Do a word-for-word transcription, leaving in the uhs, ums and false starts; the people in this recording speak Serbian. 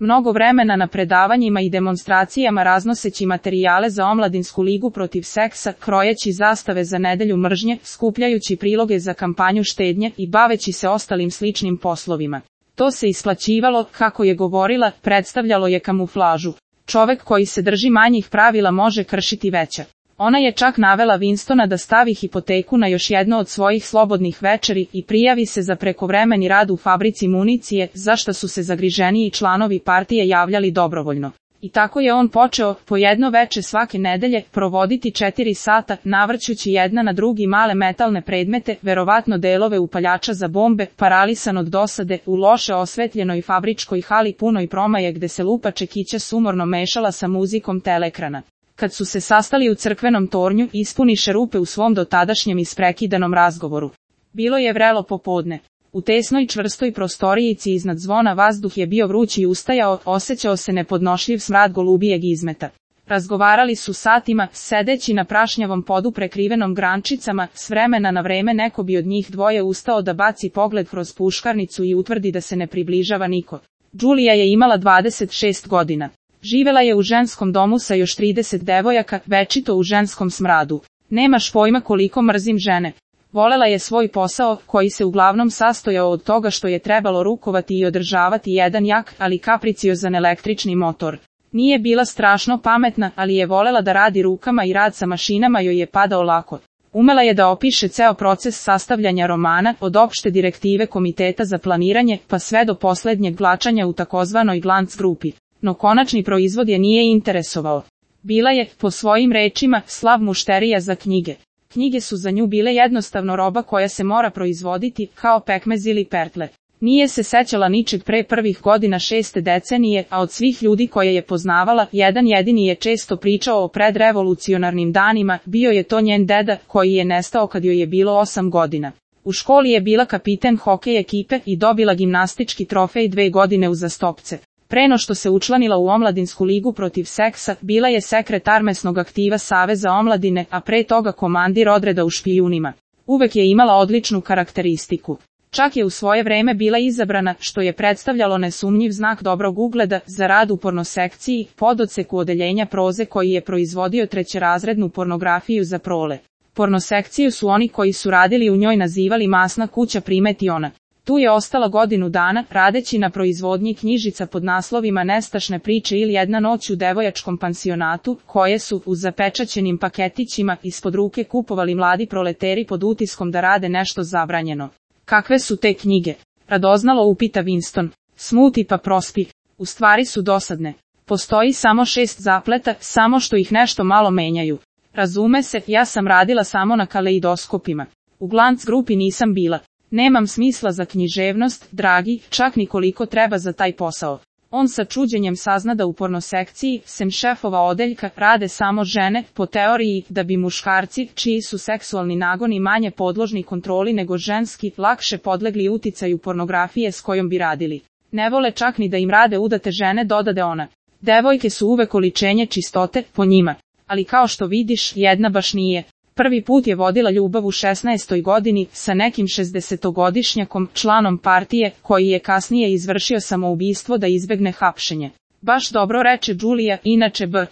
mnogo vremena na predavanjima i demonstracijama raznoseći materijale za omladinsku ligu protiv seksa, krojeći zastave za nedelju mržnje, skupljajući priloge za kampanju štednje i baveći se ostalim sličnim poslovima. To se isplaćivalo, kako je govorila, predstavljalo je kamuflažu. Čovek koji se drži manjih pravila može kršiti veća. Ona je čak navela Winstona da stavi hipoteku na još jedno od svojih slobodnih večeri i prijavi se za prekovremeni rad u fabrici municije, za šta su se zagriženiji članovi partije javljali dobrovoljno. I tako je on počeo, po jedno veče svake nedelje, provoditi četiri sata, navrćući jedna na drugi male metalne predmete, verovatno delove upaljača za bombe, paralisan od dosade, u loše osvetljenoj fabričkoj hali punoj promaje gde se lupa čekića sumorno mešala sa muzikom teleekrana. Kad su se sastali u crkvenom tornju, ispuniše rupe u svom dotadašnjem isprekidanom razgovoru. Bilo je vrelo popodne. U tesnoj čvrstoj prostorijici iznad zvona vazduh je bio vruć i ustajao, osjećao se nepodnošljiv smrad golubijeg izmeta. Razgovarali su satima, sedeći na prašnjavom podu prekrivenom grančicama, s vremena na vreme neko bi od njih dvoje ustao da baci pogled kroz puškarnicu i utvrdi da se ne približava niko. Đulija je imala dvadeset šest godina. Živela je u ženskom domu sa još trideset devojaka, večito u ženskom smradu. Nemaš pojma koliko mrzim žene. Volela je svoj posao, koji se uglavnom sastojao od toga što je trebalo rukovati i održavati jedan jak, ali kapriciozan električni motor. Nije bila strašno pametna, ali je volela da radi rukama i rad sa mašinama joj je padao lako. Umela je da opiše ceo proces sastavljanja romana, od opšte direktive komiteta za planiranje, pa sve do poslednjeg vlačanja u takozvanoj glanc grupi. No konačni proizvod je nije interesovao. Bila je, po svojim rečima, slav mušterija za knjige. Knjige su za nju bile jednostavno roba koja se mora proizvoditi, kao pekmez ili pertle. Nije se sećala ničeg pre prvih godina šeste decenije, a od svih ljudi koje je poznavala, jedan jedini je često pričao o predrevolucionarnim danima, bio je to njen deda, koji je nestao kad joj je bilo osam godina. U školi je bila kapiten hokej ekipe i dobila gimnastički trofej dve godine uzastopce. Preno što se učlanila u omladinsku ligu protiv seksa, bila je sekretar mesnog aktiva Saveza omladine, a pre toga komandir odreda u špijunima. Uvek je imala odličnu karakteristiku. Čak je u svoje vreme bila izabrana, što je predstavljalo nesumnjiv znak dobrog ugleda, za rad u pornosekciji, pododseku odeljenja proze koji je proizvodio trećerazrednu pornografiju za prole. Pornosekciju su oni koji su radili u njoj nazivali masna kuća, primeti ona. Tu je ostala godinu dana, radeći na proizvodnji knjižica pod naslovima Nestašne priče ili Jedna noć u devojačkom pansionatu, koje su, u zapečaćenim paketićima, ispod ruke kupovali mladi proleteri pod utiskom da rade nešto zabranjeno. Kakve su te knjige? Radoznalo upita Winston. Smuti pa prospi. U stvari su dosadne. Postoji samo šest zapleta, samo što ih nešto malo menjaju. Razume se, ja sam radila samo na kaleidoskopima. U glanc grupi nisam bila. Nemam smisla za književnost, dragi, čak ni koliko treba za taj posao. On sa čuđenjem sazna da u pornosekciji, sem šefova odeljka, rade samo žene, po teoriji da bi muškarci, čiji su seksualni nagoni manje podložni kontroli nego ženski, lakše podlegli uticaju pornografije s kojom bi radili. Ne vole čak ni da im rade udate žene, dodade ona. Devojke su uvek oličenje čistote, po njima. Ali kao što vidiš, jedna baš nije. Prvi put je vodila ljubav u šesnaestoj godini, sa nekim šezdesetogodišnjakom, članom partije, koji je kasnije izvršio samoubistvo da izbegne hapšenje. Baš dobro, reče Đulija, inače b.